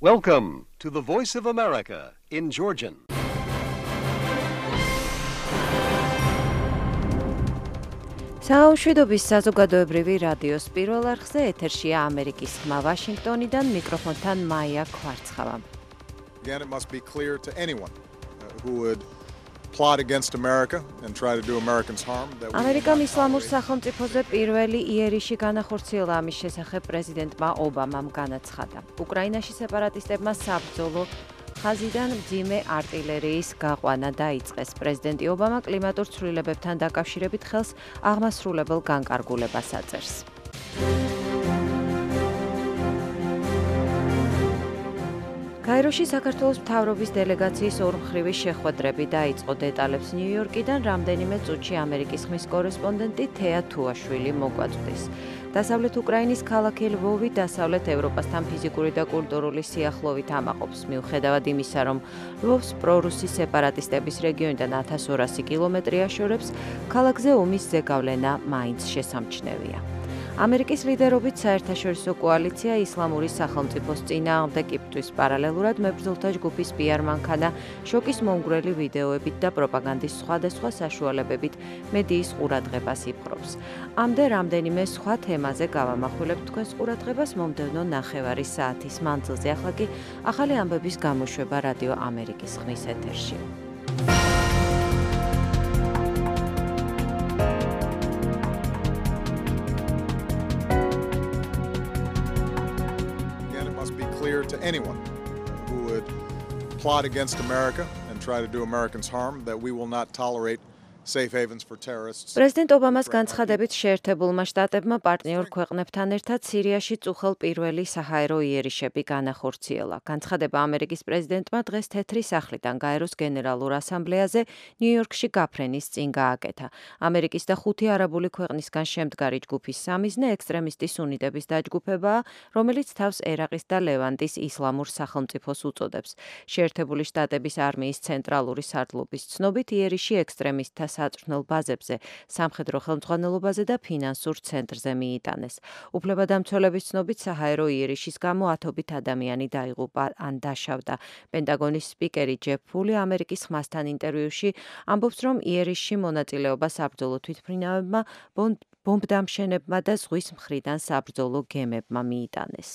Welcome to the Voice of America in Georgian. საუშვიდობის საზოგადოებრივი რადიოს პირველ არხზე ეთერშია ამერიკის ხმა ვაშინგტონიდან მიკროფონთან მაია კვარცხავა. Again, it must be clear to anyone who would plot against America and try to do Americans harm that ამერიკამ ისლამურ სახელმწიფოზე პირველი იერიში განახორციელა ამის შესახებ პრეზიდენტმა ობამამ განაცხადა. უკრაინაში სეპარატისტებმა საბრძოლო ხაზიდან მძიმე არტილერიის გაყვანა დაიწყეს. პრეზიდენტი ობამა კლიმატურ ცვლილებებთან დაკავშირებით ხელს აღმასრულებელ განკარგულებას აწერს. კაიროში საქართველოს მთავრობის დელეგაციის ორმხრივი შეხვედრები დაიწყო. დეტალებს ნიუ-იორკიდან რამდენიმე წუთში ამერიკის ხმის კორესპონდენტი თეა თუაშვილი მოგვაწვდის. დასავლეთ უკრაინის ქალაქი ლვოვი დასავლეთ ევროპასთან ფიზიკური და კულტურული სიახლოვით ამაყობს. მიუხედავად იმისა, რომ ლვოვს პრორუსი სეპარატისტების რეგიონიდან 1200 კილომეტრი აშორებს, ქალაქზე ომის ზეგავლენა მაინც შესამჩნევია. ამერიკის ლიდერობით საერთაშორისო კოალიცია ისლამური სახელმწიფოს წინააღმდეგ იბრძვის პარალელურად მებრძოლთა ჯგუფის PR მანქანა შოკის მომგვრელი ვიდეოებით და პროპაგანდის სხვადასხვა საშუალებებით მედიის ყურადღებას იპყრობს. ამდე რამდენიმე სხვა თემაზე გავამახვილებთ თქვენს ყურადღებას მომდევნო ნახევარი საათის მანძილზე. ახლა კი ახალი ამბების გამოშვება რადიო ამერიკის ხმის ეთერში. to anyone who would plot against America and try to do Americans harm that we will not tolerate safe havens for terrorists. პრეზიდენტ ობამას განცხადებით შეერთებულმა შტატებმა პარტნიორ ქვეყნებთან ერთად სირიაში წუხელ პირველი საჰაერო იერიშები განახორციელა. განცხადება ამერიკის პრეზიდენტმა დღეს თეთრი სახლიდან გაეროს გენერალურ ასამბლეაზე ნიუ-იორკში გაფრენის წინ გააკეთა. ამერიკის და 5 არაბული ქვეყნისგან შემდგარი ჯგუფის სამიზნე ექსტრემისტი სუნიტების დაჯგუფებაა, რომელიც თავს ერაყის და ლევანტის ისლამურ სახელმწიფოს უწოდებს. შეერთებული შტატების არმიის ცენტრალური სარდლობის ცნობით იერიში ექსტრემისტთა საწვრთნელ ბაზებზე, სამხედრო ხელმძღვანელობაზე და ფინანსურ ცენტრზე მიიტანეს. უფლებადამცველების ცნობით საჰაერო იერიშის გამო ათობით ადამიანი დაიღუპა ან დაშავდა. პენტაგონის სპიკერი ჯეფ ფული ამერიკის ხმასთან ინტერვიუში ამბობს, რომ იერიშში მონაწილეობა საბრძოლო თვითმფრინავებმა, ბომბდამშენებმა და ზღვის მხრიდან საბრძოლო გემებმა მიიტანეს.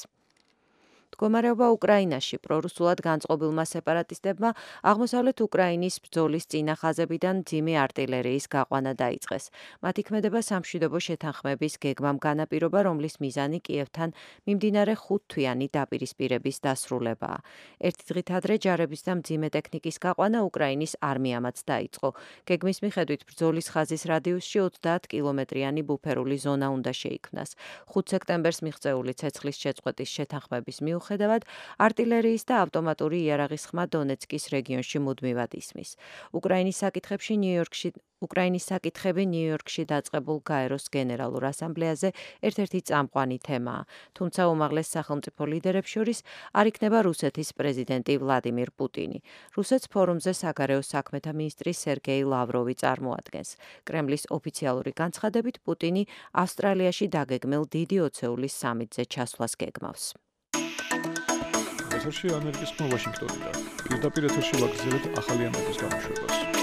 მდგომარეობა უკრაინაში პრორუსულად განწყობილმა სეპარატისტებმა აღმოსავლეთ უკრაინის ბრძოლის წინახაზებიდან მძიმე არტილერიის გაყვანა დაიწყეს. მათი ქმედება სამშვიდობო შეთანხმების გეგმამ განაპირობა, რომლის მიზანი კიევთან მიმდინარე 5 თვიანი დაპირისპირების დასრულებაა. ერთი დღით ადრე ჯარების და მძიმე ტექნიკის გაყვანა უკრაინის არმიამაც დაიწყო. გეგმის მიხედვით ბრძოლის ხაზის რადიუსში 30 კილომეტრიანი ბუფერული ზონა უნდა შეიქმნას. 5 სექტემბერს მიღწეული ცეცხლის შეწყვეტის შეთანხმების მიუხედავად, არტილერიის და ავტომატური იარაღის ხმა დონეცკის რეგიონში მუდმივად ისმის. უკრაინის საკითხები ნიუ-იორკში დაწყებულ გაეროს გენერალურ ასამბლეაზე ერთ-ერთი წამყვანი თემაა. თუმცა უმაღლეს სახელმწიფო ლიდერებს შორის არ იქნება რუსეთის პრეზიდენტი ვლადიმირ პუტინი. რუსეთს ფორუმზე საგარეო საქმეთა მინისტრი სერგეი ლავროვი წარმოადგენს. კრემლის ოფიციალური განცხადებით პუტინი ავსტრალიაში დაგეგმილ დიდი ოცეულის სამიტზე ჩასვლას გეგმავს. ეთერში ამერიკის ხმა ვაშინგტონიდან. პირდაპირ ეთერში ვაგრძელებთ ახალი ამბების გამოშვებას.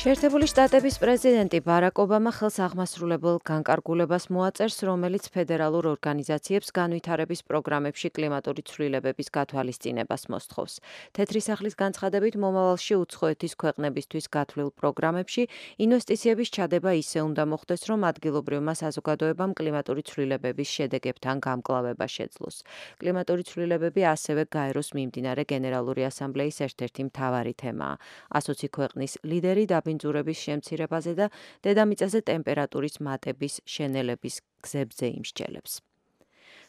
შეერთებული შტატების პრეზიდენტი ბარაკ ობამა ხელს აღმასრულებელ განკარგულებას მოაწერს, რომელიც ფედერალურ ორგანიზაციებს განვითარების პროგრამებში კლიმატური ცვლილებების გათვალისწინებას მოსთხოვს. თეთრი სახლის განცხადებით, მომავალში უცხოეთის ქვეყნებისთვის გათვლილ პროგრამებში ინვესტიციების ჩადება ისე უნდა მოხდეს, რომ ადგილობრივმა საზოგადოებამ კლიმატური ცვლილებების შედეგებთან გამკლავება შეძლოს. კლიმატური ცვლილებები ასევე გაეროს მიმდინარე გენერალური ასამბლეის ერთ-ერთი მთავარი თემაა. 120 ქვეყნის ლიდერი ბინძურების შემცირებაზე და დედამიწაზე ტემპერატურის მატების შენელების გზებზე იმსჯელებს.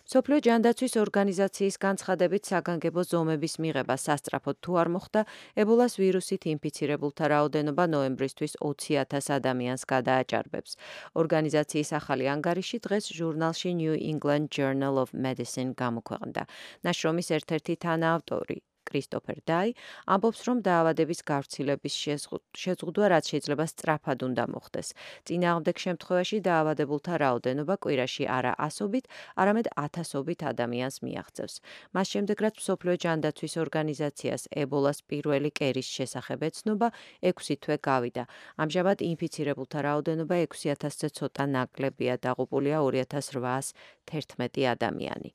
მსოფლიო ჯანდაცვის ორგანიზაციის განცხადებით საგანგებო ზომების მიღება სასწრაფოდ თუ არ მოხდა, ებოლას ვირუსით ინფიცირებულთა რაოდენობა ნოემბრისთვის 20,000 ადამიანს გადააჭარბებს. ორგანიზაციის ახალი ანგარიში დღეს ჟურნალში New England Journal of Medicine გამოქვეყნდა. ნაშრომის ერთ-ერთი თანაავტორი კრისტოფერ დაი ამბობს, რომ დაავადების გავრცელების შეზღუდვა რაც შეიძლება სწრაფად უნდა მოხდეს. წინააღმდეგ შემთხვევაში დაავადებულთა რაოდენობა კვირაში არა 100-ით, არამედ 1000-ობით ადამიანს მიაღწევს. მას შემდეგ, რაც მსოფლიო ჯანდაცვის ორგანიზაციას ებოლას პირველი კერის შესახებ ეცნობა 6 თვე გავიდა. ამჟამად ინფიცირებულთა რაოდენობა 6000-ზე ცოტა ნაკლებია, დაღუპულია 2811 ადამიანი.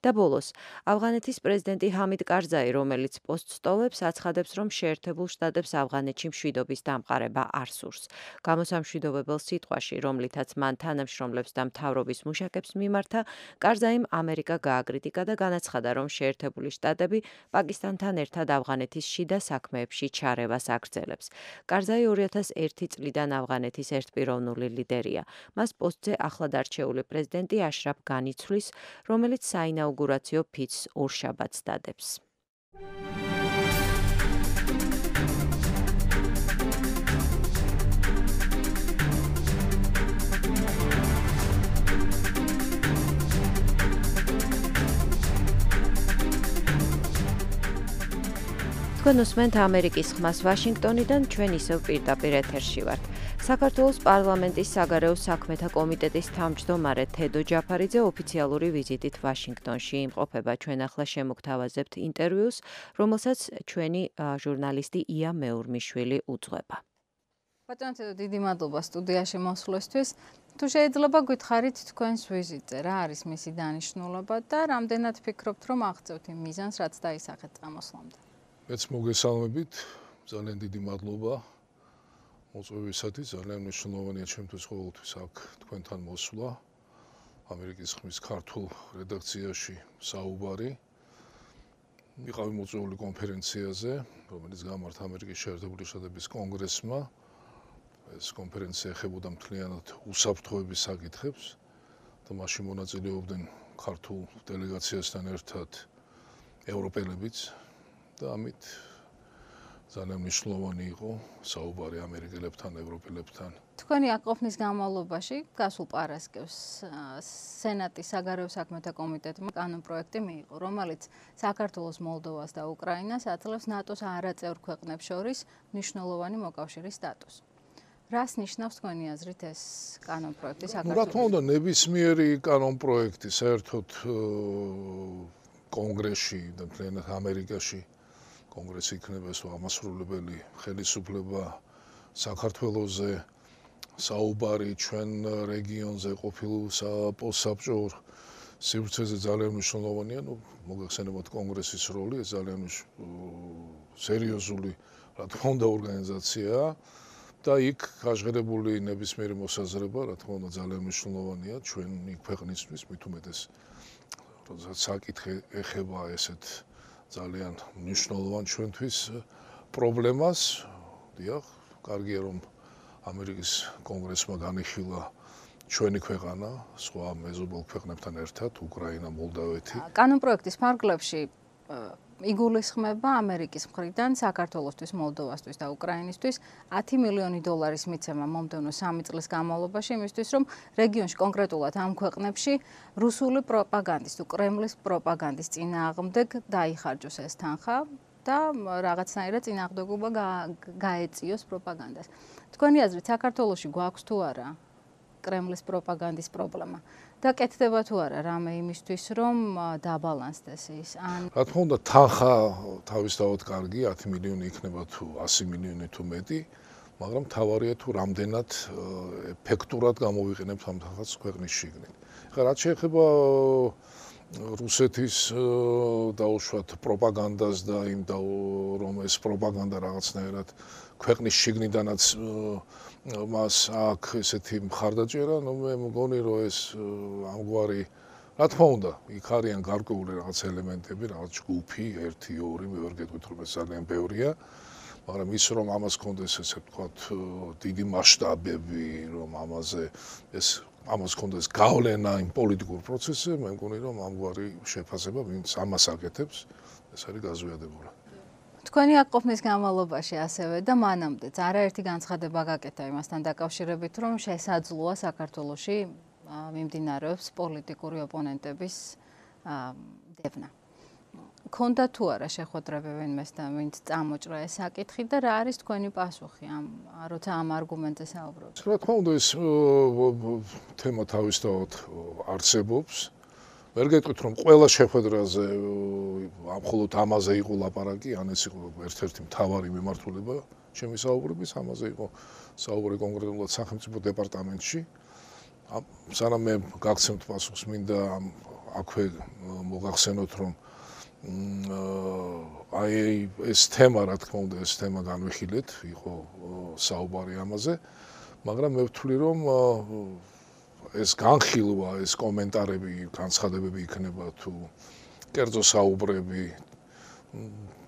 და ბოლოს, ავღანეთის პრეზიდენტი ჰამიდ კარზაი, რომელიც პოსტს ტოვებს, აცხადებს, რომ შეერთებულ შტატებს ავღანეთში მშვიდობის დამყარება არ სურს. გამოსამშვიდობებელ სიტყვაში, რომლითაც მან თანამშრომლებს და მთავრობის მუშაკებს მიმართა, კარზაიმ ამერიკა გააკრიტიკა და განაცხადა, რომ შეერთებული შტატები პაკისტანთან ერთად ავღანეთის შიდა საქმეებში ჩარევას აგრძელებს. კარზაი 2001 წლიდან ავღანეთის ერთპიროვნული ლიდერია. მას პოსტზე ახლად არჩეული პრეზიდენტი აშრაფ განი ცვლის, რომელიც საინაუგურაციო ფიცს ორშაბათს დადებს. თქვენ უსმენთ ამერიკის ხმას ვაშინგტონიდან, ჩვენ ისევ პირდაპირ ეთერში ვართ. საქართველოს პარლამენტის საგარეო საქმეთა კომიტეტის თავმჯდომარე თედო ჯაფარიძე ოფიციალური ვიზიტით ვაშინგტონში იმყოფება. ჩვენ ახლა შემოგთავაზებთ ინტერვიუს, რომელსაც ჩვენი ჟურნალისტი ია მეურმიშვილი უძღვება. ბატონო თედო, დიდი მადლობა სტუდიაში მოსვლისთვის. თუ შეიძლება გითხარით თქვენს ვიზიტზე, რა არის მისი დანიშნულება და რამდენად ფიქრობთ, რომ აღწევთ იმ მიზანს, რაც დაისახეთ წამოსვლამდე? მეც მოგესალმებით, ძალიან დიდი მადლობა მოწვევისათვის, ძალიან მნიშვნელოვანია ჩემთვის ყოველთვის აქ თქვენთან მოსვლა. ამერიკის ხმის ქართულ რედაქციაში საუბარი. ვიყავი მოწვეული კონფერენციაზე, რომელიც გამართა ამერიკის შეერთებული შტატების კონგრესმა. ეს კონფერენცია ეხებოდა მთლიანად უსაფრთხოების საკითხებს და მასში მონაწილეობდნენ ქართულ დელეგაციასთან ერთად ევროპელებიც. და ამით ძალიან მნიშვნელოვანი იყო საუბარი ამერიკელებთან, ევროპელებთან. თქვენი აქ ყოფნის განმავლობაში გასულ პარასკევს სენატის საგარეო საქმეთა კომიტეტმა კანონპროექტი მიიღო, რომელიც საქართველოს, მოლდოვას და უკრაინას აძლევს ნატოს არაწევრ ქვეყნებს შორის მნიშვნელოვანი მოკავშირის სტატუსს. რას ნიშნავს თქვენი აზრით ეს კანონპროექტი საქართველოს? რა თქმა უნდა, ნებისმიერი კანონპროექტი საერთოდ კონგრესში და მთლიანად ამერიკაში კონგრესი იქნება ეს ამასრულებელი ხელისუფლება საქართველოზე საუბარი ჩვენ რეგიონზე ყოფილ პოსტსაბჭოურ სივრცეზე ძალიან მნიშვნელოვანია. მოგეხსენებათ კონგრესის როლი, ეს ძალიან სერიოზული რა თქმა უნდა ორგანიზაციაა და იქ გაჟღერებული ნებისმიერი მოსაზრება რა თქმა უნდა ძალიან მნიშვნელოვანია ჩვენი ქვეყნისთვის, მით უმეტეს როდესაც საკითხი ეხება ესეთ ძალიან მნიშვნელოვან ჩვენთვის პრობლემას. დიახ, კარგია რომ ამერიკის კონგრესმა განიხილა ჩვენი ქვეყანა სხვა მეზობელ ქვეყნებთან ერთად, უკრაინა, მოლდავეთი. კანონპროექტის ფარგლებში იგულისხმება ამერიკის მხრიდან საქართველოსთვის, მოლდოვასთვის და უკრაინისთვის 10 მილიონი დოლარის მიცემა მომდევნო 3 წლის განმავლობაში, იმისთვის რომ რეგიონში კონკრეტულად ამ ქვეყნებში რუსული პროპაგანდის თუ კრემლის პროპაგანდის წინააღმდეგ დაიხარჯოს ეს თანხა და რაღაცნაირად წინააღმდეგობა გაეწიოს პროპაგანდას. თქვენი აზრით, საქართველოში გვაქვს თუ არა კრემლის პროპაგანდის პრობლემა? და კეთდება თუ არა რამე იმისთვის, რომ დაბალანსდეს ის? რა თქმა უნდა, თანხა თავისთავად კარგი, 10 მილიონი იქნება თუ 100 მილიონი თუ მეტი, მაგრამ თავარია თუ რამდენად ეფექტურად გამოვიყენებთ ამ თანხას ქვეყნის შიგნით. ხა რაც შეეხება რუსეთის დაუშვათ პროპაგანდას და იმ რომ ეს პროპაგანდა რაღაცნაირად ქვეყნის შიგნიდანაც მას აქ ესეთი მხარდაჭერა, მე მგონი რომ ეს ამგვარი რა თქმა უნდა, იქ არიან გარკვეული რაღაც ელემენტები, რაღაც ჯგუფი, 1, 2, მე ვერ გეტყვით რომ ეს ძალიან ბევრია, მაგრამ ის რომ ამას კონდეს ესე ვთქვათ დიდი მასშტაბები, რომ ამას კონდეს გავლენა იმ პოლიტიკურ პროცესზე, მე მგონი რომ ამგვარი შეფასება ვინც ამას აკეთებს, ეს არის გაზვიადებული. თქვენი აქ ყოფნის განმავლობაში ასევე და მანამდეც არაერთი განცხადება გაკეთა იმასთან დაკავშირებით, რომ შესაძლოა საქართველოში მიმდინარეობს პოლიტიკური ოპონენტების დევნა. ქონდა თუ არა შეხვედრები ვინმესთან, ვინც წამოჭრა ეს საკითხი და რა არის თქვენი პასუხი როცა ამ არგუმენტზე საუბრობთ? რა თქმა უნდა ეს თემა თავისთავად არსებობს. ვერ გეტყვით რომ ყველა შეხვედრაზე მხოლოდ ამაზე იყო ლაპარაკი, ან ეს იყო ერთ-ერთი მთავარი მიმართულება ჩემი საუბრების, ამაზე იყო საუბარი კონკრეტულად სახელმწიფო დეპარტამენტში. სანამ მე გაგცემთ პასუხს, მინდა აქვე მოგახსენოთ რომ აი ეს თემა, რა თქმა უნდა, ეს თემა განვიხილეთ, იყო საუბარი ამაზე, მაგრამ მე ვთვლი რომ ეს განხილვა, ეს კომენტარები, განცხადებები იქნება თუ კერძო საუბრები,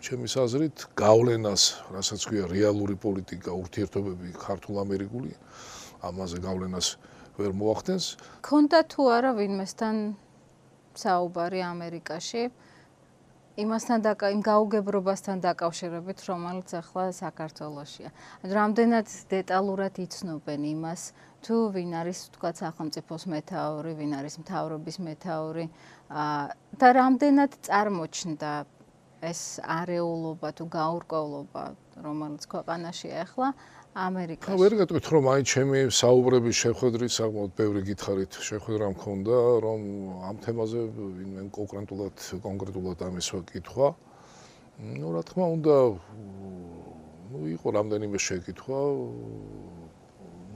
ჩემის აზრით, გავლენას, რასაც ქვია რეალური პოლიტიკა, ურთიერთობები ქართულ-ამერიკული, ამაზე გავლენას ვერ მოახდენს. ქონდა თუ არა ვინმესთან საუბარი ამერიკაში? იმასთან იმ გაუგებრობასთან დაკავშირებით, რომელიც ახლა საქართველოშია. რამდენად დეტალურად იცნობენ იმას, თუ ვინ არის თქვა სახელმწიფოს მეთაური, ვინ არის მთავრობის მეთაური და რამდენად წარმოჩნდა ეს არეულობა თუ გაურკვევლობა, რომელიც ქვეყანაშია ახლა ამერიკაში. ვერ გეტყვით რომ აი ჩემი საუბრების შეხვედრის საკმაოდ ბევრი გითხარით შეხვედრა მქონდა, რომ ამ თემაზე ვინმე კონკრეტულად ამისვა კითხვა. რა თქმა უნდა, იყო რამდენიმე შეკითხვა,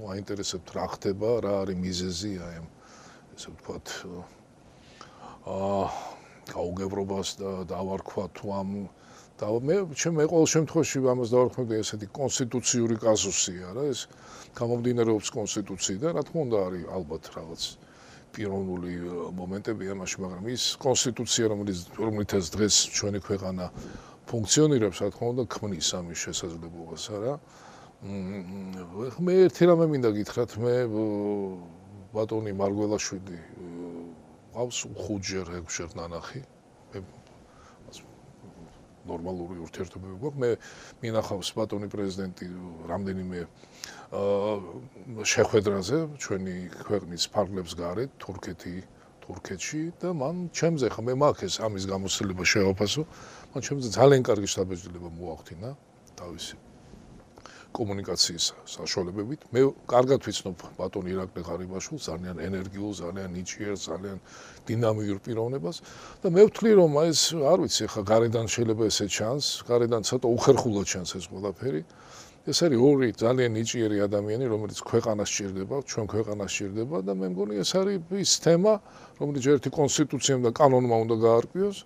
აინტერესებთ რა ხდება, რა არის მიზეზი აი ამ ესე ვთქვათ გაუგებრობას და დავარქვა თუ ამ და მე ყოველ შემთხვევაში ამას დავარქმევდი ესეთი კონსტიტუციური კაზუსია რა ეს გამომდინარეობს კონსტიტუციიდან რა თქმა უნდა არის ალბათ რაღაც პიროვნული მომენტები ამაში მაგრამ ის კონსტიტუცია რომელთაც დღეს ჩვენი ქვეყანა ფუნქციონირებს რა თქმა უნდა ქმნის ამის შესაძლებლობას არა მე ერთი რამე მინდა გითხრათ მე ბატონი მარგველაშვილი ყავს 5-ჯერ 6-ჯერ ნანახი ნორმალური ურთიერთობები გვაქვს. მე მინახავს ბატონი პრეზიდენტი რამდენიმე შეხვედრაზე ჩვენი ქვეყნის ფარგლებს გარეთ, თურქეთში და მან ჩემზე ხა მე მაქვს ამის გამოცდილება შევაფასო. მან ჩემზე ძალიან კარგი შთაბეჭდილება მოახდინა თავისი კომუნიკაციის საშუალებებით. მე კარგად ვიცნობ ბატონ ირაკლი ღარიბაშვილს, ძალიან ენერგიულ, ძალიან ნიჭიერ, ძალიან დინამიურ პიროვნებას და მე ვთვლი რომ ეს არ ვიცი ხა გარედან შეიძლება ესე ჩანს, გარედან ცოტა უხერხულად ჩანს ეს ყველაფერი. ეს არის ორი ძალიან ნიჭიერი ადამიანი, რომელიც ქვეყანას სჭირდება, ჩვენ ქვეყანას სჭირდება და მე მგონი ეს არის ის თემა, რომელიც ერთი კონსტიტუციამ და კანონმა უნდა გაარკვიოს.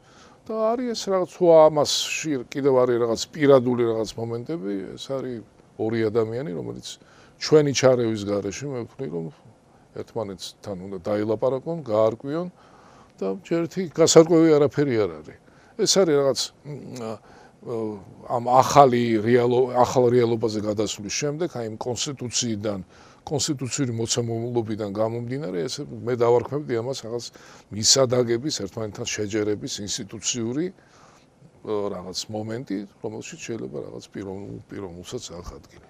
და არის ეს რაღაც ამასში კიდევ არის რაღაც პირადული რაღაც მომენტები, ეს არის ორი ადამიანი, რომელიც ჩვენი ჩარევის გარეშე მე ვთვლი რომ ერთმანეთთან უნდა დაილაპარაკონ, გაარკვიონ და ერთი გასარკვევი არაფერი არ არის. ეს არის რაღაც ამ ახალ რეალობაზე გადასვლის შემდეგ, აი იმ კონსტიტუციური მოცემულობიდან გამომდინარე, ეს მე დავარქმევდი ამას რაღაც მისადაგების, ერთმანეთთან შეჯერების ინსტიტუციური რაღაც მომენტი, რომელშიც შეიძლება რაღაც პიროვნულსაც აღადგინე.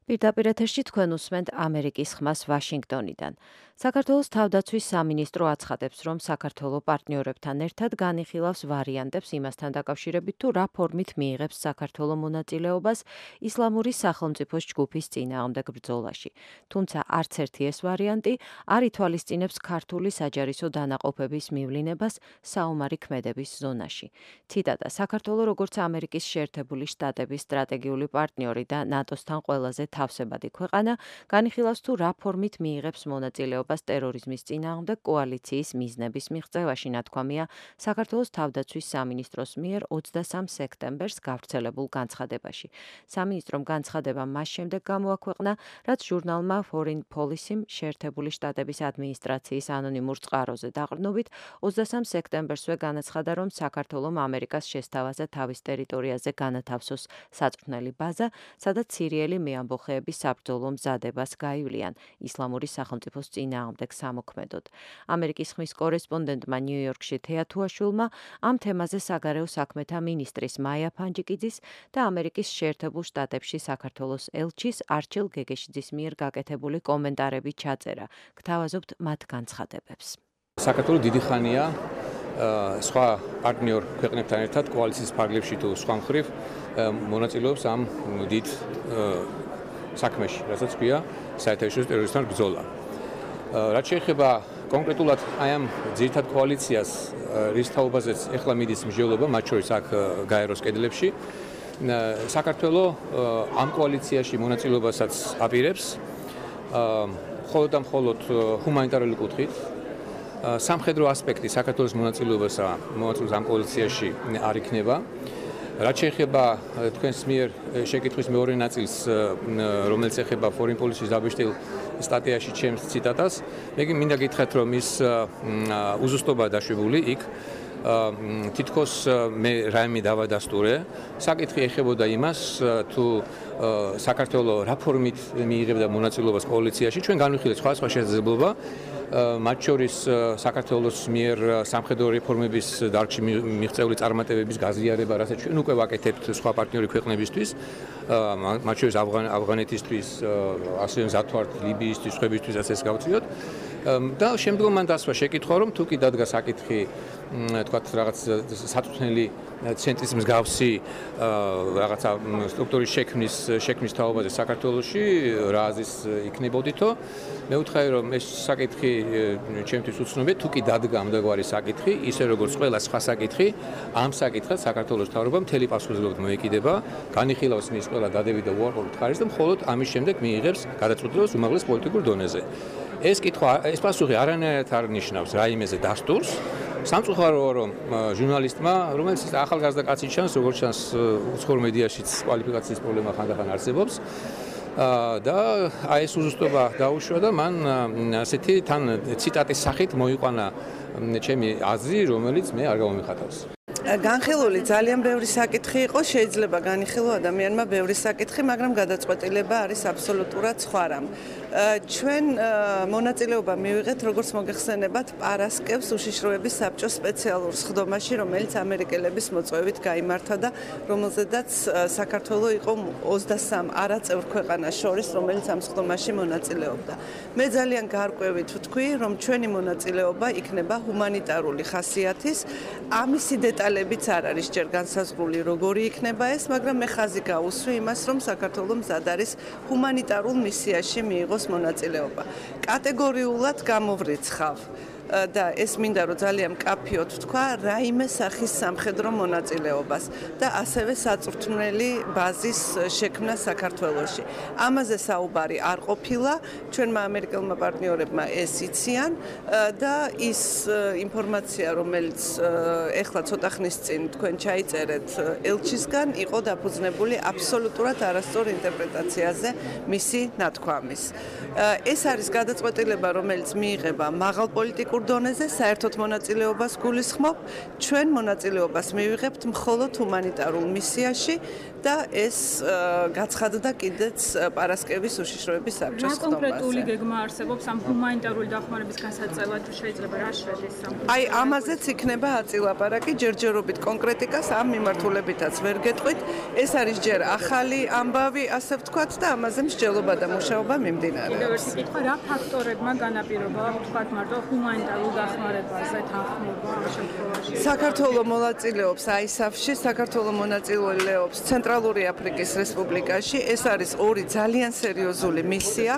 პირდაპირ ეთერში თქვენ უსმენთ ამერიკის ხმას ვაშინგტონიდან. საქართველოს თავდაცვის სამინისტრო აცხადებს, რომ საქართველო პარტნიორებთან ერთად განიხილავს ვარიანტებს იმასთან დაკავშირებით, თუ რა ფორმით მიიღებს საქართველო მონაწილეობას ისლამური სახელმწიფოს ჯგუფის წინააღმდეგ ბრძოლაში. თუმცა არც ერთი ეს ვარიანტი არ ითვალისწინებს ქართული საჯარისო დანაყოფების მივლინებას საომარი ქმედების ზონაში. ციტატა: საქართველო როგორც ამერიკის შეერთებული შტატების სტრატეგიული პარტნიორი და ნატოსთან ყველაზე თავსებადი ქვეყანა განიხილავს თუ რა ფორმით მიიღებს მონაწილეობას ტერორიზმის წინააღმდეგ კოალიციის მიზნების მიღწევაში, ნათქვამია საქართველოს თავდაცვის სამინისტროს მიერ 23 სექტემბერს გავრცელებულ განცხადებაში. სამინისტრომ განცხადება მას შემდეგ გამოაქვეყნა, რაც ჟურნალმა Foreign Policy-მ შეერთებული შტატების ადმინისტრაციის ანონიმურ წყაროზე დაყრდნობით 23 სექტემბერსვე განაცხადა, რომ საქართველომ ამერიკას შესთავაზა თავის ტერიტორიაზე განათავსოს საწვრთნელი ბაზა, სადაც სირიელი მეამბოხეების საბრძოლო მზადებას გაივლიან ისლამური სახელმწიფოს წინააღმდეგ წინააღმდეგ სამოქმედოდ. ამერიკის ხმის კორესპონდენტმა ნიუ-იორკში თეა თუაშვილმა ამ თემაზე საგარეო საქმეთა მინისტრის მაია ფანჯიკიძის და ამერიკის შეერთებულ შტატებში საქართველოს ელჩის არჩილ გეგეშიძის მიერ გაკეთებული კომენტარები ჩაწერა. გთავაზობთ მათ განცხადებებს. საქართველო დიდი ხანია სხვა პარტნიორ ქვეყნებთან ერთად კოალიციის ფარგლებში თუ სხვა მხრივ მონაწილეობს ამ დიდ საქმეში, რასაც ქვია საერთაშორისო ტერორიზმთან ბრძოლა. რაც შეეხება კონკრეტულად აი ამ ძირითად კოალიციას, რის თაობაზეც ეხლა მიდის მსჯელობა, მათ შორის აქ გაეროს კედლებში, საქართველო ამ კოალიციაში მონაწილეობასაც აპირებს, მხოლოდ და მხოლოდ ჰუმანიტარული კუთხით. სამხედრო ასპექტი საქართველოს მონაწილეობას ამ კოალიციაში არ იქნება. რაც შეეხება თქვენს მიერ შეკითხვის მეორე ნაწილს, რომელიც ეხება foreign policy-ს დაბეჭდილ სტატიაში ჩემს ციტატას, მე მინდა გითხრათ, რომ ის უზუსტობა დაშვებული იქ თითქოს მე რაიმე დავადასტურე. საკითხი ეხებოდა იმას, თუ საქართველო რა ფორმით მიიღებდა მონაწილეობას კოალიციაში. ჩვენ განვიხილეთ სხვადასხვა შესაძლებლობა, მათ შორის საქართველოს მიერ სამხედრო რეფორმების დარგში მიღწეული წარმატებების გაზიარება, რასაც ჩვენ უკვე ვაკეთებთ სხვა პარტნიორი ქვეყნებისთვის, მათ შორის ავღანეთისთვის, ასევე მზად ვართ ლიბიისთვის, ხვებისთვისაც ეს გავწიოთ. და შემდგომ მან დასვა შეკითხვა, რომ თუ კი დადგა საკითხი, თქვათ რაღაც საწვრთნელი ცენტრის მსგავსი რაღაცა სტრუქტურის შექმნის თაობაზე საქართველოში, რა აზრის იქნებოდითო, მე ვუთხარი, რომ ეს საკითხი ჩემთვის უცნობია, თუ კი დადგა ამდაგვარი საკითხი, ისე როგორც ყველა სხვა საკითხი, ამ საკითხად საქართველოს მთავრობა მთელი პასუხისმგებლობით მოეკიდება, განიხილავს მის ყველა დადებით და უარყოფით ხარისხს და მხოლოდ ამის შემდეგ მიიღებს გადაწყვეტილებას უმაღლეს პოლიტიკურ დონეზე. ეს პასუხი არანაირად არ ნიშნავს რაიმეზე დასტურს. სამწუხაროა, რომ ჟურნალისტმა, რომელიც ახალგაზრდა კაცი ჩანს, როგორც ჩანს, უცხოურ მედიაშიც კვალიფიკაციის პრობლემა ხანდახან არსებობს. და აი ეს უზუსტობა დაუშვა და მან ასეთი თან ციტატის სახით მოიყვანა ჩემი აზრი, რომელიც მე არ გამომიხატავს. განხილული ძალიან ბევრი საკითხი იყო, შეიძლება განიხილო ადამიანმა ბევრი საკითხი, მაგრამ გადაწყვეტილება არის აბსოლუტურად სხვა რამ. ჩვენ მონაწილეობა მივიღეთ, როგორც მოგეხსენებათ, პარასკევს უშიშროების საბჭოს სპეციალურ სხდომაში, რომელიც ამერიკელების მოწვევით გაიმართა და რომელზედაც საქართველო იყო 23 არაწევრ ქვეყანას შორის, რომელიც ამ სხდომაში მონაწილეობდა. მე ძალიან გარკვევით ვთქვი, რომ ჩვენი მონაწილეობა იქნება ჰუმანიტარული ხასიათის, ამისი დეტალებიც არ არის ჯერ განსაზღვრული, როგორი იქნება ეს, მაგრამ მე ხაზი გავუსვი იმას, რომ საქართველო მზად არის ჰუმანიტარულ მისიაში მიიღოს მონაწილეობა. კატეგორიულად გამოვრიცხავ და ეს მინდა რომ ძალიან მკაფიოდ ვთქვა, რაიმე სახის სამხედრო მონაწილეობას და ასევე საწვრთნელი ბაზის შექმნა საქართველოში. ამაზე საუბარი არ ყოფილა, ჩვენმა ამერიკელმა პარტნიორებმა ეს იციან და ის ინფორმაცია, რომელიც ეხლა ცოტა ხნის წინ თქვენ ჩაიწერეთ ელჩისგან, იყო დაფუძნებული აბსოლუტურად არასწორ ინტერპრეტაციაზე მისი ნათქვამის. ეს არის გადაწყვეტილება, რომელიც მიიღება მაღალ პოლიტიკურ დონეზე, საერთოდ მონაწილეობას გულისხმობ, ჩვენ მონაწილეობას მივიღებთ მხოლოდ ჰუმანიტარულ მისიაში და ეს გაცხადდა კიდეც პარასკევის უშიშროების საბჭოს სხდომაზე. რა კონკრეტული გეგმა არსებობს ამ ჰუმანიტარული დახმარების გასაწევად, თუ შეიძლება რა შედის ამ? აი, ამაზეც იქნება აწილაპარაკი, ჯერჯერობით კონკრეტიკას ამ მიმართულებითაც ვერ გეტყვით. ეს არის ჯერ ახალი ამბავი, ასე ვთქვათ და ამაზე მსჯელობა და მუშაობა მიმდინარეობს. კიდევ ერთი კითხვა, რა ფაქტორებმა განაპირობა, ვთქვათ, მარტო ჰუმანიტარულ დახმარებაზე თანხმობა ამ შემთხვევაში? საქართველო მონაწილეობს ISAF-ში, საქართველო მონაწილეობს ცენტრალური აფრიკის რესპუბლიკაში. ეს არის ორი ძალიან სერიოზული მისია.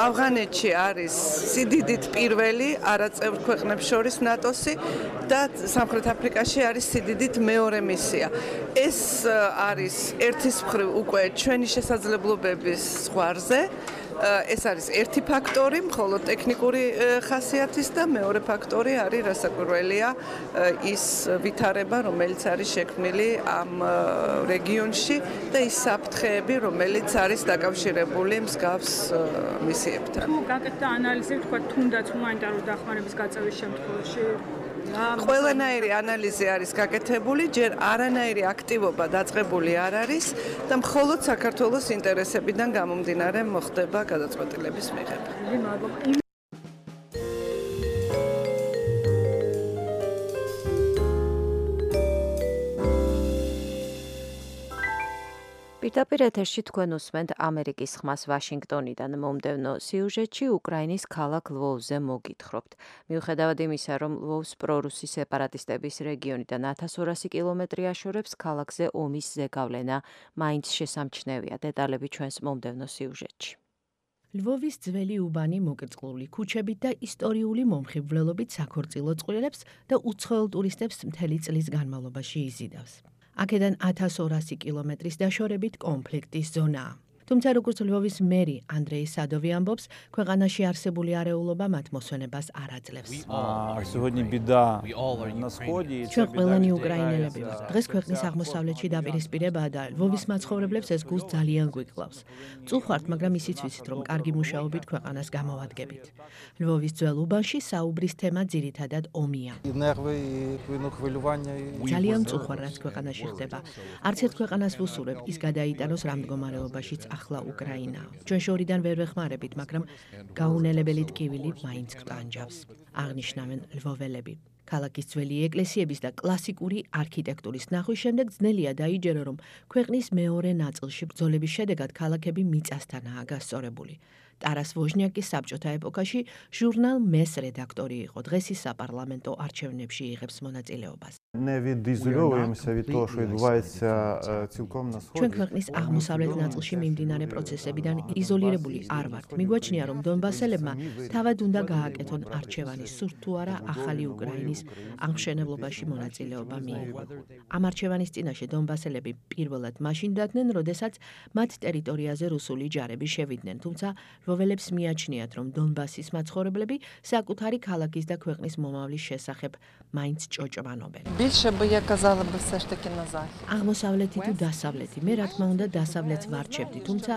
ავღანეთში არის სიდიდით პირველი არაწევრ ქვეყნებს შორის ნატოსი და სამხრეთ აფრიკაში არის სიდიდით მეორე მისია. ეს არის ერთის მხრივ უკვე ჩვენი შესაძლებლობების ზღვარზე. ეს არის ერთი ფაქტორი, მხოლოდ ტექნიკური ხასიათის და მეორე ფაქტორი არის რასაკვირველია ის ვითარება, რომელიც არის შექმნილი ამ რეგიონში და ის საფრთხეები, რომელიც არის დაკავშირებული მსგავს მისიებთან. თუ გაკეთდა ანალიზი, თქვა თუნდაც ჰუმანიტარული დახმარების გაწევის შემთხვევაში ყველანაირი ანალიზი არის გაკეთებული, ჯერ არანაირი აქტივობა დაწყებული არ არის და მხოლოდ საქართველოს ინტერესებიდან გამომდინარე მოხდება გადაწყვეტილების მიღება. პირდაპირ ეთერში თქვენ უსმენთ ამერიკის ხმას ვაშინგტონიდან მომდევნო სიუჟეტში უკრაინის ქალაქ ლვოვზე მოგითხრობთ. მიუხედავად იმისა, რომ ლვოვს პრორუსი სეპარატისტების რეგიონიდან 1200 კილომეტრი აშორებს, ქალაქზე ომის ზეგავლენა მაინც შესამჩნევია. დეტალები ჩვენს მომდევნო სიუჟეტში. ლვოვის ძველი უბანი მოკრძალული ქუჩებით და ისტორიული მომხიბვლელობით საქორწილო წყვილებს და უცხოელ ტურისტებს მთელი წლის განმავლობაში იზიდავს. აქედან 1200 კილომეტრის დაშორებით კონფლიქტის ზონაა. თუმცა როგორც ლვოვის მერი ანდრეი სადოვი ამბობს, ქვეყანაში არსებული არეულობა მათ მოსვენებას არ აძლევს. ჩვენ ყველანი უკრაინელები ვართ. დღეს ქვეყნის აღმოსავლეთში დაპირისპირებაა და ლვოვის მაცხოვრებლებს ეს გულს ძალიან გვიკლავს. წუხართ, მაგრამ ისიც ვიცით, რომ კარგი მუშაობით ქვეყანას გამოვადგებით. ლვოვის ძველ უბანში საუბრის თემა ძირითადად ომია. ძალიან წუხარ, რაც ქვეყანაში ხდება. არც ერთ ქვეყანას ვუსურებ, ის გადაიტანოს რამ მდგომარეობაშიც ახლა უკრაინა. ჩვენ შორიდან ვერ ვეხმარებით, მაგრამ გაუნელებელი ტკივილი მაინც გვტანჯავს. აღნიშნავენ ლვოველები. ქალაქის ძველი ეკლესიების და კლასიკური არქიტექტურის ნახვის შემდეგ ძნელია დაიჯერო, რომ ქვეყნის მეორე ნაწილში ბრძოლების შედეგად ქალაქები მიწასთანაა გასწორებული. ტარას ვოჟნიაკის საბჭოთა ეპოქაში ჟურნალ მეს რედაქტორი იყო. დღეს ის საპარლამენტო არჩევნებში იღებს მონაწილეობას. ჩვენ ქვეყნის აღმოსავლეთ ნაწილში მიმდინარე პროცესებიდან იზოლირებული არ ვართ. მიგვაჩნია, რომ დონბასელებმა თავად უნდა გააკეთონ არჩევანი, სურთ თუ არა ახალი უკრაინის აღმშენებლობაში მონაწილეობა მიიღო. ამ არჩევანის წინაშე დონბასელები პირველად მაშინ დადგნენ, როდესაც მათ ტერიტორიაზე რუსული ჯარები შევიდნენ, თუმცა ლვოველებს მიაჩნიათ, რომ დონბასის მაცხოვრებლები საკუთარი ქალაქის და ქვეყნის მომავლის შესახებ მაინც ჭოჭმანობენ. აღმოსავლეთი თუ დასავლეთი, მე რა თქმა უნდა დასავლეთს ვარჩევდი, თუმცა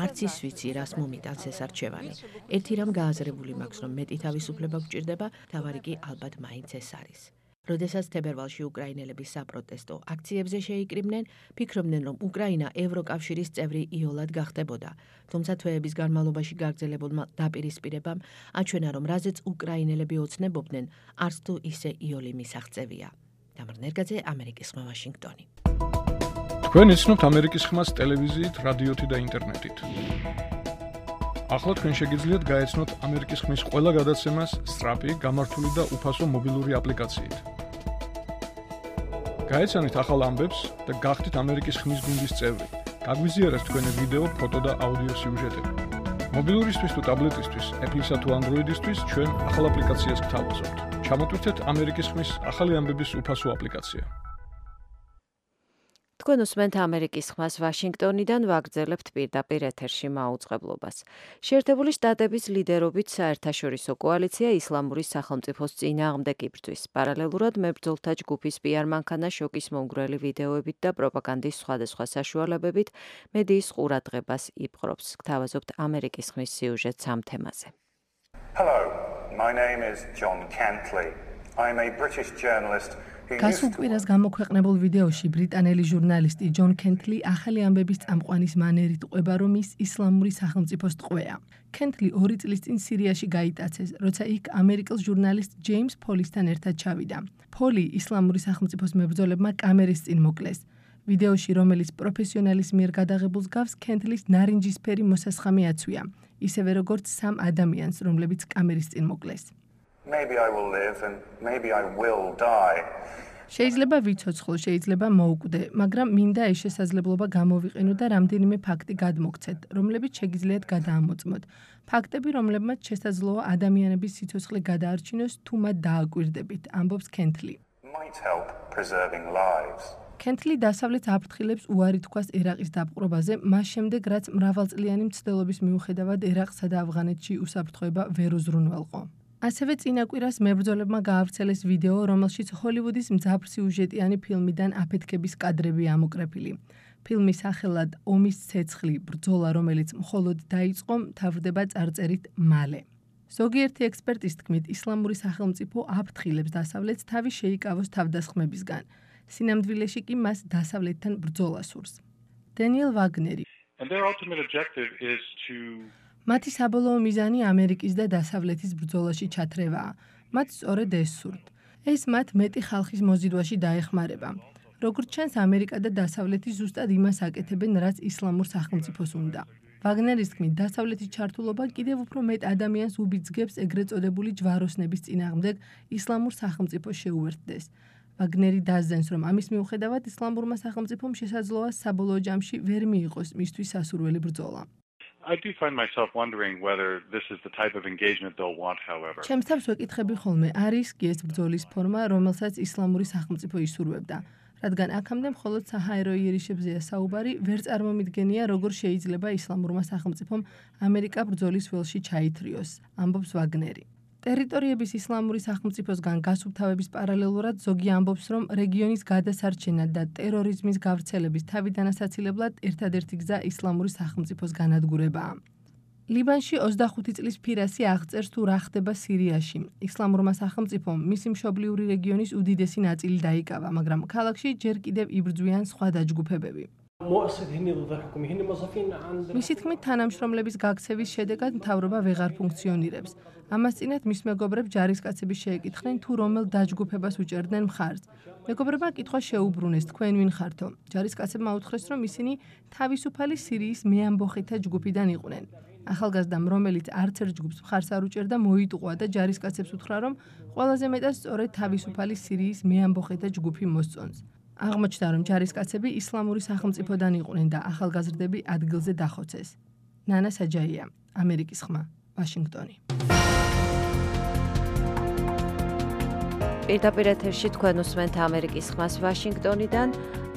არც ის ვიცი, რას მომიტანს ეს არჩევანი. ერთი რამ გააზრებული მაქვს, რომ მეტი თავისუფლება გვჭირდება, თავარი კი ალბათ მაინც ეს არის. როდესაც თებერვალში უკრაინელები საპროტესტო აქციებზე შეიკრიბნენ, ფიქრობდნენ, რომ უკრაინა ევროკავშირის წევრი იოლად გახდებოდა. თუმცა თვეების განმავლობაში გაგრძელებულმა დაპირისპირებამ აჩვენა, რომ რაზეც უკრაინელები ოცნებობდნენ, არც თუ ისე იოლი მისაღწევია. დამარ ნერგაძე, ამერიკის ხმა, ვაშინგტონი. თქვენ იცნობთ ამერიკის ხმას ტელევიზიით, რადიოთი და ინტერნეტით. ახლა თქვენ შეგიძლიათ გაეცნოთ ამერიკის ხმის ყველა გადაცემას სწრაფი, გამართული და უფასო მობილური აპლიკაციით. გაეცანით ახალ ამბებს და გახდით ამერიკის ხმის გუნდის წევრი. გაგვიზიარეთ თქვენი ვიდეო, ფოტო და აუდიო სიუჟეტები. მობილურისთვის თუ ტაბლეტისთვის, Apple-ისა თუ Android-ისთვის ჩვენ ახალ აპლიკაციას გთავაზობთ. ჩამოტვირთეთ ამერიკის ხმის ახალი ამბების უფასო აპლიკაცია. თქვენ უსმენთ ამერიკის ხმას ვაშინგტონიდან, ვაგრძელებთ პირდაპირ ეთერში მაუწყებლობას. შეერთებული შტატების ლიდერობით საერთაშორისო კოალიცია ისლამური სახელმწიფოს წინააღმდეგ იბრძვის. პარალელურად მებრძოლთა ჯგუფის PR მანქანა შოკის მომგვრელი ვიდეოებით და პროპაგანდის სხვადასხვა საშუალებებით მედიის ყურადღებას იპყრობს. გთავაზობთ ამერიკის ხმის სიუჟეტს ამ თემაზე. Hello, my name is John Cantley. I'm a British journalist. გასულ კვირას გამოქვეყნებულ ვიდეოში ბრიტანელი ჟურნალისტი ჯონ კენტლი ახალი ამბების წამყვანის მანერით ყვება, რომ ის ისლამური სახელმწიფოს ტყვეა. კენტლი 2 წლის წინ სირიაში გაიტაცეს, როცა იქ ამერიკელ ჟურნალისტ ჯეიმს ფოლისთან ერთად ჩავიდა. ფოლი ისლამური სახელმწიფოს მებრძოლებმა კამერის წინ მოკლეს. ვიდეოში, რომელიც პროფესიონალის მიერ გადაღებულს გავს, კენტლის ნარინჯისფერი მოსასხამი აცვია, ისევე როგორც 3 ადამიანს, რომლებიც კამერის წინ მოკლეს. Maybe I will live and maybe I will die. შეიძლება ვიცოცხლო, შეიძლება მოუკვდე, მაგრამ მინდა ეს შესაძლებლობა გამოვიყენო და რამდენიმე ფაქტი გადმოგცეთ, რომლებიც შეგიძლიათ გადაამოწმოთ. ფაქტები, რომლებმაც შესაძლოა ადამიანების სიცოცხლე გადაარჩინოს, თუ მათ დააკვირდებით, ამბობს კენტლი. Might help preserving lives. კენტლი დასავლეთს აფრთხილებს უარი თქვას ერაყის დაპყრობაზე, მას შემდეგ, რაც მრავალწლიანი მცდელობის მიუხედავად ერაყსა და ავღანეთში უსაფრთხოება ვერ უზრუნველყო. ასევე წინა კვირას მებრძოლებმა გაავრცელეს ვიდეო, რომელშიც ჰოლივუდის მძაფრსიუჟეტიანი ფილმიდან აფეთქების კადრები ამოკრეფილი. ფილმის სახელად ომის ცეცხლი, ბრძოლა, რომელიც მხოლოდ დაიწყო, მთავრდება წარწერით მალე. ზოგიერთი ექსპერტის თქმით, ისლამური სახელმწიფო აფრთხილებს დასავლეთს თავი შეიკავოს თავდასხმებისგან. სინამდვილეში კი მას დასავლეთთან ბრძოლა სურს. დენიელ ვაგნერი. მათი საბოლოო მიზანი ამერიკის და დასავლეთის ბრძოლაში ჩათრევაა. მათ სწორედ ეს სურთ. ეს მათ მეტი ხალხის მოზიდვაში დაეხმარება. როგორც ჩანს, ამერიკა და დასავლეთი ზუსტად იმას აკეთებენ, რაც ისლამურ სახელმწიფოს უნდა. ვაგნერის თქმით, დასავლეთის ჩართულობა კიდევ უფრო მეტ ადამიანს უბიძგებს ეგრეთ წოდებული ჯვაროსნების წინააღმდეგ ისლამურ სახელმწიფოს შეუერთდეს. ვაგნერი დასძენს, რომ ამის მიუხედავად ისლამურმა სახელმწიფომ შესაძლოა საბოლოო ჯამში ვერ მიიღოს მისთვის სასურველი ბრძოლა. I do find myself wondering whether this is the type of engagement they'll want, however. ჩემს თავს ვეკითხები ხოლმე, არის კი ეს ბრძოლის ფორმა, რომელსაც ისლამური სახელმწიფო ისურვებდა. რადგან აქამდე მხოლოდ საჰაერო იერიშებზეა საუბარი, ვერ წარმომიდგენია, როგორ შეიძლება ისლამურმა სახელმწიფომ ამერიკა ბრძოლის ველში ჩაითრიოს, ამბობს ვაგნერი. ტერიტორიების ისლამური სახელმწიფოსგან გასუფთავების პარალელურად ზოგი ამბობს, რომ რეგიონის გადასარჩენა და ტერორიზმის გავრცელების თავიდან ასაცილებლად ერთადერთი გზა ისლამური სახელმწიფოს განადგურებაა. ლიბანში 25 წლის ფირასი აღწერს თუ რა ხდება სირიაში. ისლამურმა სახელმწიფომ მისი მშობლიური რეგიონის უდიდესი ნაწილი დაიკავა, მაგრამ ქალაქში ჯერ კიდევ იბრძვიან სხვა დაჯგუფებები. მისი თქმით, თანამშრომლების გაქცევის შედეგად მთავრობა ვეღარ ფუნქციონირებს. ამას წინათ მის მეგობრებს ჯარისკაცები შეეკითხნენ, თუ რომელ დაჯგუფებას უჭერდნენ მხარს. მეგობრებმა კითხვა შეუბრუნეს, თქვენ ვინ ხართო? ჯარისკაცებმა უთხრეს, რომ ისინი თავისუფალი სირიის მეამბოხითა ჯგუფიდან იყვნენ. ახალგაზრდამ, რომელიც არც ერთ ჯგუფს მხარს არ უჭერდა, მოიტყვა და ჯარისკაცებს უთხრა, რომ ყველაზე მეტად სწორედ თავისუფალი სირიის მეამბოხითა ჯგუფი მოსწონს. აღმოჩნდა, რომ ჯარისკაცები ისლამური სახელმწიფოდან იყვნენ და ახალგაზრდები ადგილზე დახოცეს. ნანა საჯაია, ამერიკის ხმა, ვაშინგტონი. პირდაპირ ეთერში თქვენ უსმენთ ამერიკის ხმას ვაშინგტონიდან.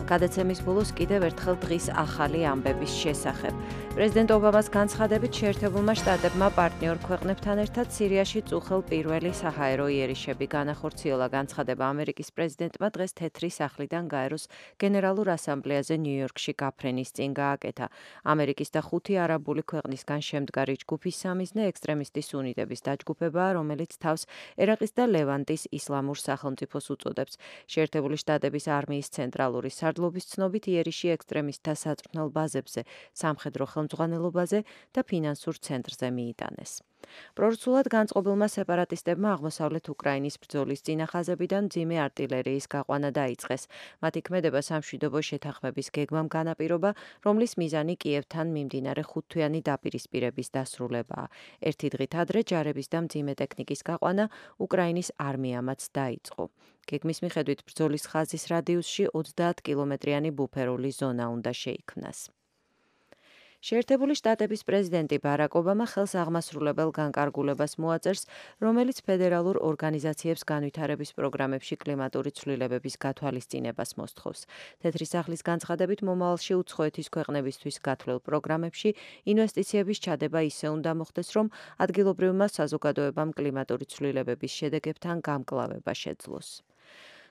გადაცემის ბოლოს კიდევ ერთხელ დღის ახალი ამბების შესახებ. პრეზიდენტ ობამას განცხადებით შეერთებულმა შტატებმა პარტნიორ ქვეყნებთან ერთად სირიაში წუხელ პირველი საჰაერო იერიშები განახორციელა. განცხადება ამერიკის პრეზიდენტმა დღეს თეთრი სახლიდან გაეროს გენერალურ ასამბლეაზე ნიუ-იორკში გაფრენის წინ გააკეთა. ამერიკის და 5 არაბული ქვეყნისგან შემდგარი ჯგუფის სამიზნე ექსტრემისტი სუნიტების დაჯგუფებაა, რომელიც თავს ერაყის და ლევანტის ისლამურ სახელმწიფოს უწოდებს. შეერთებული შტატების არმიის ცენტრალური სარდლობის ცნობით იერიში ექსტრემისტთა საწვრთნელ ბაზებზე, სამხედრო ხელმძღვანელობაზე და ფინანსურ ცენტრზე მიიტანეს. პრორუსულად განწყობილმა სეპარატისტებმა აღმოსავლეთ უკრაინის ბრძოლის წინახაზებიდან მძიმე არტილერიის გაყვანა დაიწყეს. მათი ქმედება სამშვიდობო შეთანხმების გეგმამ განაპირობა, რომლის მიზანი კიევთან მიმდინარე 5-თვიანი დაპირისპირების დასრულებაა. ერთი დღით ადრე ჯარების და მძიმე ტექნიკის გაყვანა უკრაინის არმიამაც დაიწყო. გეგმის მიხედვით ბრძოლის ხაზის რადიუსში 30 კილომეტრიანი ბუფერული ზონა უნდა შეიქმნას. შეერთებული შტატების პრეზიდენტი ბარაკ ობამა ხელს აღმასრულებელ განკარგულებას მოაწერს, რომელიც ფედერალურ ორგანიზაციებს განვითარების პროგრამებში კლიმატური ცვლილებების გათვალისწინებას მოსთხოვს. თეთრი სახლის განცხადებით მომავალში უცხოეთის ქვეყნებისთვის გათვლილ პროგრამებში ინვესტიციების ჩადება ისე უნდა მოხდეს, რომ ადგილობრივმა საზოგადოებამ კლიმატური ცვლილებების შედეგებთან გამკლავება შეძლოს.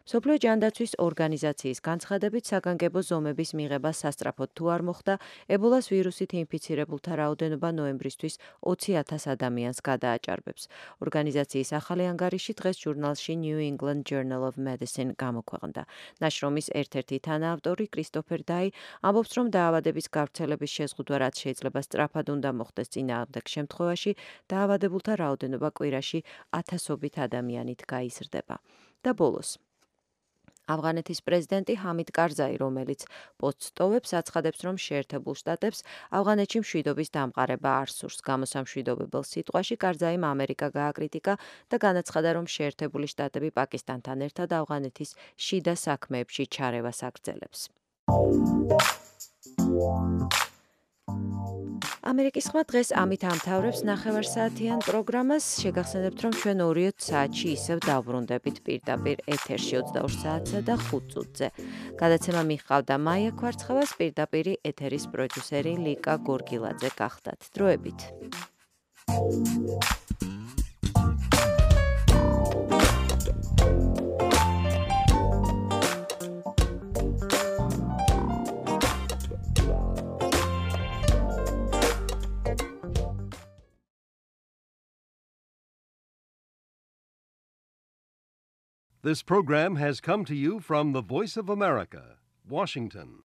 მსოფლიო ჯანდაცვის ორგანიზაციის განცხადებით საგანგებო ზომების მიღება სასწრაფოდ თუ არ მოხდა, ებოლას ვირუსით ინფიცირებულთა რაოდენობა ნოემბრისთვის 20,000 ადამიანს გადააჭარბებს. ორგანიზაციის ახალი ანგარიში დღეს ჟურნალში New England Journal of Medicine გამოქვეყნდა. ნაშრომის ერთ-ერთი თანაავტორი კრისტოფერ დაი ამბობს, რომ დაავადების გავრცელების შეზღუდვა რაც შეიძლება სწრაფად უნდა მოხდეს წინააღმდეგ შემთხვევაში, დაავადებულთა რაოდენობა კვირაში 1000-ობით ადამიანით გაიზრდება. და ბოლოს ავღანეთის პრეზიდენტი ჰამიდ კარზაი, რომელიც პოსტს ტოვებს, აცხადებს, რომ შეერთებულ შტატებს ავღანეთში მშვიდობის დამყარება არ სურს. გამოსამშვიდობებელ სიტყვაში კარზაიმ ამერიკა გააკრიტიკა და განაცხადა, რომ შეერთებული შტატები პაკისტანთან ერთად ავღანეთის შიდა საქმეებში ჩარევას აგრძელებს. ამერიკის ხმა დღეს ამით ამთავრებს ნახევარსაათიან პროგრამას. შეგახსენებთ, რომ ჩვენ 2 საათში ისევ დავბრუნდებით პირდაპირ ეთერში 22 საათსა და 5 წუთზე. გადაცემა მიჰყავდა მაია კვარცხავას, პირდაპირი ეთერის პროდიუსერი ლიკა გორგილაძე გახდათ. დროებით. This program has come to you from the Voice of America, Washington.